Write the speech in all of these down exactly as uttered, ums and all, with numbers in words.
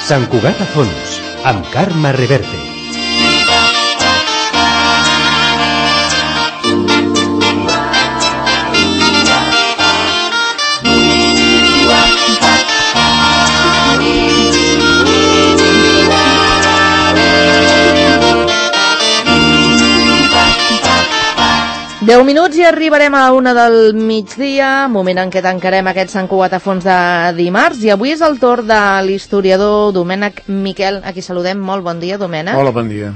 Sant Cugat a fons, amb Carme Reverte. deu minuts i arribarem a la una del migdia, moment en què tancarem aquest Sant Cugat a fons de dimarts, i avui és el torn de l'historiador Domènec Miquel, a qui saludem. Molt bon dia, Domènec. Hola, bon dia.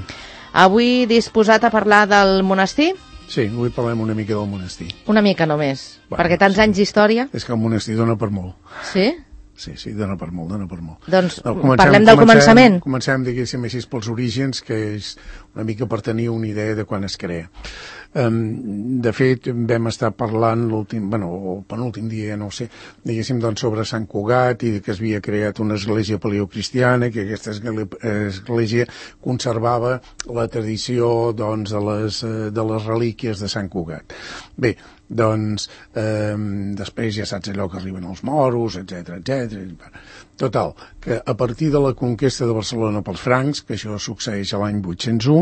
Avui disposat a parlar del monestir? Sí, avui parlem una mica del monestir. Una mica només, bueno, perquè tants sí. anys d'història... És que el monestir dona per molt. Sí? Sí, sí, dona per molt, dona per molt. Doncs no, comencem, parlem del comencem, començament. Comencem, diguéssim, així pels orígens, que és una mica per tenir una idea de quan es crea. Um, de fet, vam estar parlant l'últim, bueno, el penúltim dia, no ho sé, diguéssim, doncs, sobre Sant Cugat i que es havia creat una església paleocristiana, que aquesta església conservava la tradició, doncs, de les, de les relíquies de Sant Cugat. Bé, doncs, eh, després ja saps allò que arriben els moros, etcètera, etcètera. Total, que a partir de la conquesta de Barcelona pels francs, que això succeeix a l'any vuit-cents u,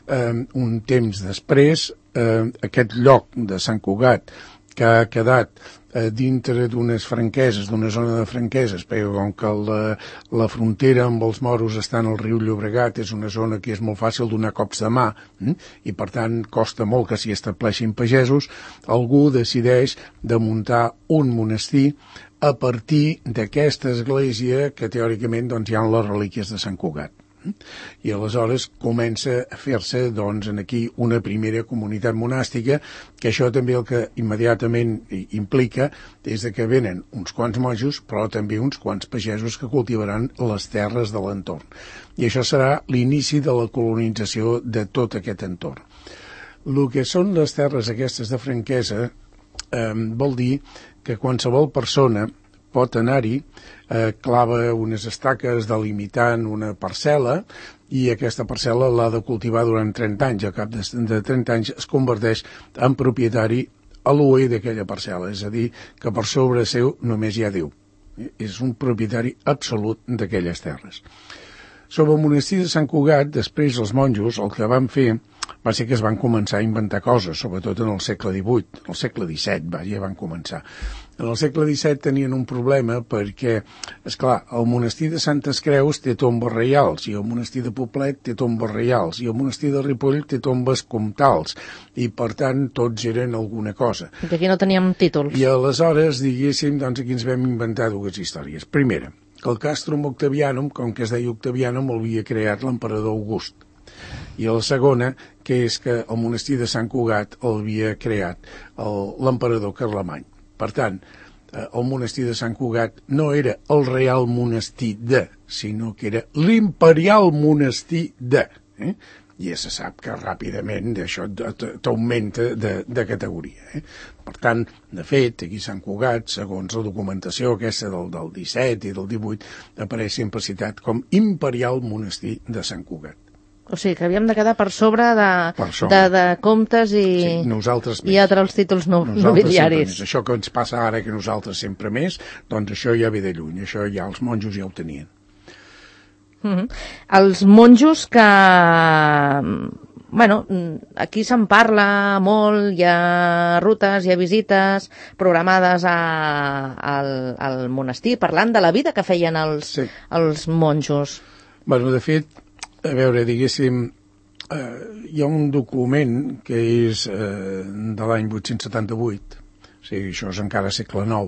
eh, un temps després, eh, aquest lloc de Sant Cugat, que ha quedat eh, dintre d'unes franqueses, d'una zona de franqueses, perquè com que la, la frontera amb els moros està en el riu Llobregat, és una zona que és molt fàcil donar cops de mà, hm? I per tant costa molt que s'hi estableixin pagesos, algú decideix de muntar un monestir a partir d'aquesta església que teòricament doncs, hi ha les relíquies de Sant Cugat. I aleshores comença a fer-se doncs, aquí una primera comunitat monàstica, que això també el que immediatament implica és que venen uns quants monjos, però també uns quants pagesos que cultivaran les terres de l'entorn. I això serà l'inici de la colonització de tot aquest entorn. El que són les terres aquestes de franquesa eh, vol dir que qualsevol persona pot anar-hi, eh, clava unes estaques delimitant una parcel·la i aquesta parcel·la l'ha de cultivar durant trenta anys. A cap de, de trenta anys es converteix en propietari a l'U E d'aquella parcel·la, és a dir, que per sobre seu només hi ha Déu. És un propietari absolut d'aquelles terres. Sobre el monestir de Sant Cugat, després els monjos el que van fer va ser que es van començar a inventar coses, sobretot en el segle divuit, el segle disset va, ja van començar. En el segle disset tenien un problema perquè, esclar, el monestir de Santes Creus té tombes reials, i el monestir de Poblet té tombes reials, i el monestir de Ripoll té tombes comtals, i per tant tots eren alguna cosa. I aquí no teníem títols. I aleshores, diguéssim, doncs aquí ens vam inventar dues històries. Primera, que el Castrum Octavianum, com que es deia Octavianum, el havia creat l'emperador August. I la segona, que és que el monestir de Sant Cugat l'havia creat l'emperador Carlemany. Per tant, el monestir de Sant Cugat no era el real monestir de, sinó que era l'imperial monestir de. Eh? I ja se sap que ràpidament això t'augmenta de, de categoria. Eh? Per tant, de fet, aquí a Sant Cugat, segons la documentació aquesta del, del disset i del divuit, apareix sempre citat com imperial monestir de Sant Cugat. O sigui, que havíem de quedar per sobre de, per sobre. de, de comptes i, sí, nosaltres i altres títols no, nobiliaris. Això que ens passa ara, que nosaltres sempre més, doncs això ja ve de lluny, això ja els monjos ja ho tenien. Mm-hmm. Els monjos que... Bueno, aquí se'n parla molt, hi ha rutes, hi ha visites programades a, al, al monestir, parlant de la vida que feien els, sí. els monjos. Bueno, de fet, a veure, diguéssim, eh, hi ha un document que és eh, de l'any vuit-cents setanta-vuit, o sigui, això és encara segle nou,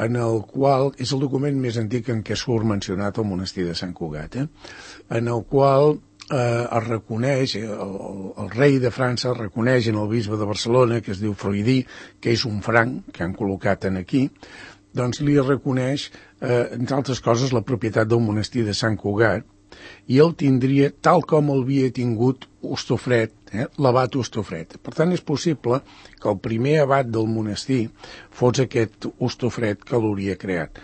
en el qual és el document més antic en què surt mencionat el monestir de Sant Cugat, eh? En el qual eh, es reconeix, el, el, el rei de França reconeix en el bisbe de Barcelona, que es diu Freudí, que és un franc que han col·locat en aquí, doncs li reconeix, eh, entre altres coses, la propietat del monestir de Sant Cugat, i el tindria tal com el havia tingut Hostofred, eh, l'abat Hostofred. Per tant, és possible que el primer abat del monestir fos aquest Hostofred que l'hauria creat.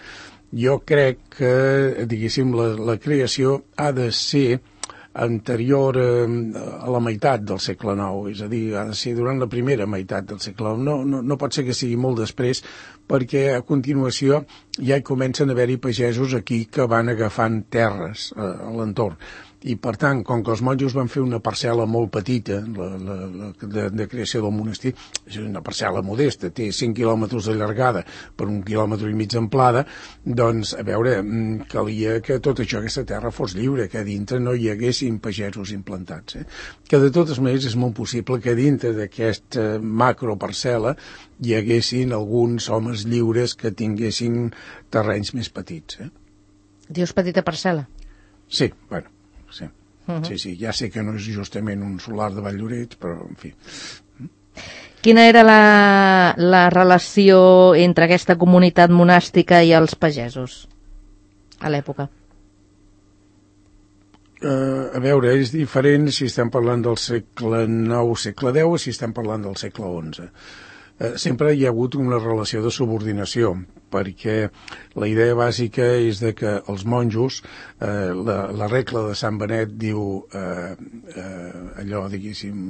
Jo crec que, diguéssim, la, la creació ha de ser anterior eh, a la meitat del segle nou, és a dir, ha de ser durant la primera meitat del segle nou. No, no, no pot ser que sigui molt després, perquè a continuació ja hi comencen a haver-hi pagesos aquí que van agafant terres eh, a l'entorn. I, per tant, com que els monjos van fer una parcel·la molt petita, la, la, la de, de creació del monestir, és una parcel·la modesta, té cinc quilòmetres de llargada per un quilòmetre i mig d'amplada, doncs, a veure, calia que tot això, aquesta terra, fos lliure, que dintre no hi haguessin pagesos implantats. Eh? Que, de totes maneres, és molt possible que dintre d'aquesta macroparcel·la hi haguessin alguns homes lliures que tinguessin terrenys més petits. Eh? Dius petita parcel·la? Sí, bueno. Sí. Uh -huh. sí, sí, ja sé que no és justament un solar de Valldoreix, però, en fi. Quina era la, la relació entre aquesta comunitat monàstica i els pagesos a l'època? Uh, a veure, és diferent si estem parlant del segle nou, segle deu, o si estem parlant del segle onze. Uh, sempre hi ha hagut una relació de subordinació, perquè la idea bàsica és de que els monjos, eh, la, la regla de Sant Benet diu eh, eh, allò, diguéssim,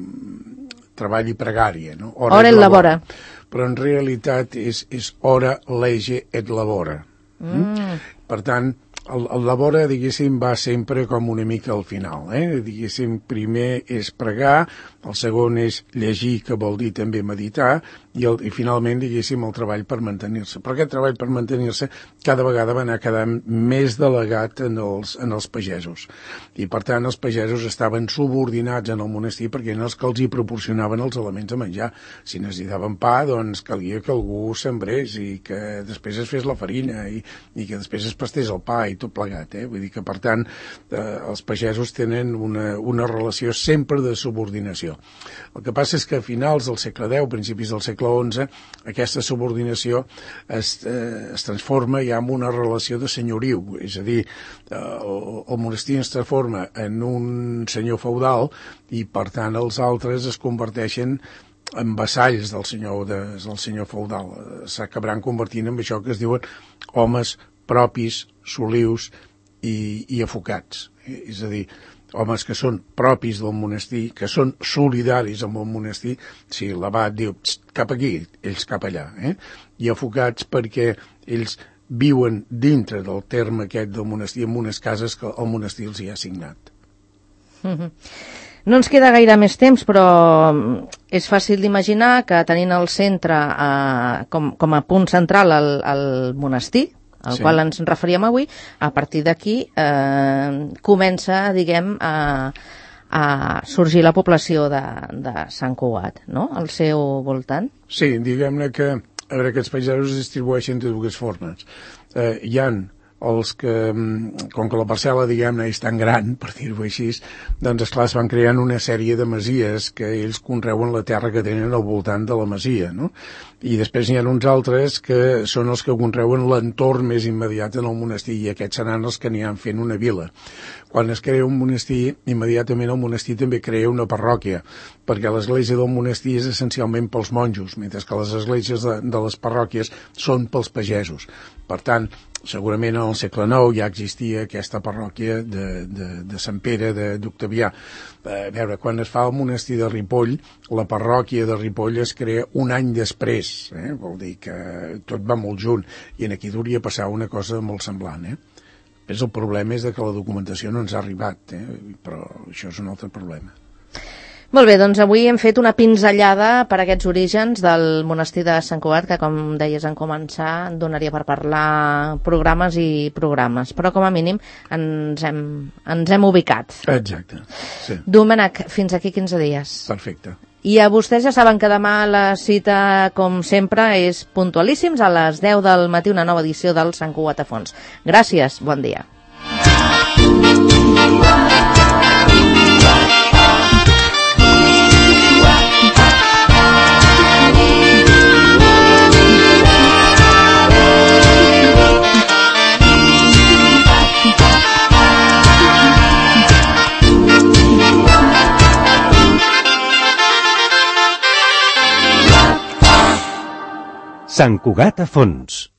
treball i pregària, no? Hora, hora et labora. Però en realitat és, és hora lege et labora. Mm. Per tant, el, el labora, diguéssim, va sempre com una mica al final, eh? Diguéssim, primer és pregar, el segon és llegir, que vol dir també meditar, i, el, i finalment, diguéssim, el treball per mantenir-se. Però aquest treball per mantenir-se cada vegada va anar quedant més delegat en els, en els pagesos. I, per tant, els pagesos estaven subordinats en el monestir perquè eren els que els hi proporcionaven els elements de menjar. Si necessitaven pa, doncs calia que algú sembrés i que després es fes la farina i, i que després es pastés el pa i tot plegat. Eh? Vull dir que, per tant, eh, els pagesos tenen una, una relació sempre de subordinació. El que passa és que a finals del segle deu, principis del segle onze, aquesta subordinació es, eh, es transforma ja en una relació de senyoriu, és a dir, eh, el, el monestir es transforma en un senyor feudal i, per tant, els altres es converteixen en vassalls del senyor, de, del senyor feudal. S'acabaran convertint en això que es diuen homes propis, solius i, i afocats. És a dir, homes que són propis del monestir, que són solidaris amb el monestir, si l'abat diu cap aquí, ells cap allà, eh? I afocats perquè ells viuen dintre del terme aquest del monestir, en unes cases que el monestir els hi ha assignat. Mm-hmm. No ens queda gaire més temps, però és fàcil d'imaginar que tenint el centre eh, com, com a punt central el, el monestir, al sí. qual ens referíem avui, a partir d'aquí eh, comença, diguem, a, a sorgir la població de, de Sant Cugat, no?, al seu voltant. Sí, diguem-ne que, a veure, aquests pagesos es distribueixen de dues formes. Eh, hi ha els que, com que la parcel·la, diguem-ne, és tan gran, per dir-ho així, doncs, esclar, es van creant una sèrie de masies que ells conreuen la terra que tenen al voltant de la masia, no? I després n'hi ha uns altres que són els que conreuen l'entorn més immediat en el monestir, i aquests seran els que aniran fent una vila. Quan es crea un monestir, immediatament el monestir també crea una parròquia, perquè l'església del monestir és essencialment pels monjos, mentre que les esglésies de, de les parròquies són pels pagesos. Per tant, segurament en el segle nou ja existia aquesta parròquia de, de, de Sant Pere d'Octavià. A veure, quan es fa el monestir de Ripoll, la parròquia de Ripoll es crea un any després, eh? Vol dir que tot va molt junt, i en aquí hauria passar una cosa molt semblant. Eh? Però el problema és que la documentació no ens ha arribat, eh? Però això és un altre problema. Molt bé, doncs avui hem fet una pinzellada per aquests orígens del monestir de Sant Cugat, que, com deies en començar, donaria per parlar programes i programes, però com a mínim ens hem, ens hem ubicat. Exacte, sí. Domènec, fins aquí quinze dies. Perfecte. I a vostès ja saben que demà la cita, com sempre, és puntualíssims a les deu del matí, una nova edició del Sant Cugat a fons. Gràcies, bon dia. Sant Cugat a fons.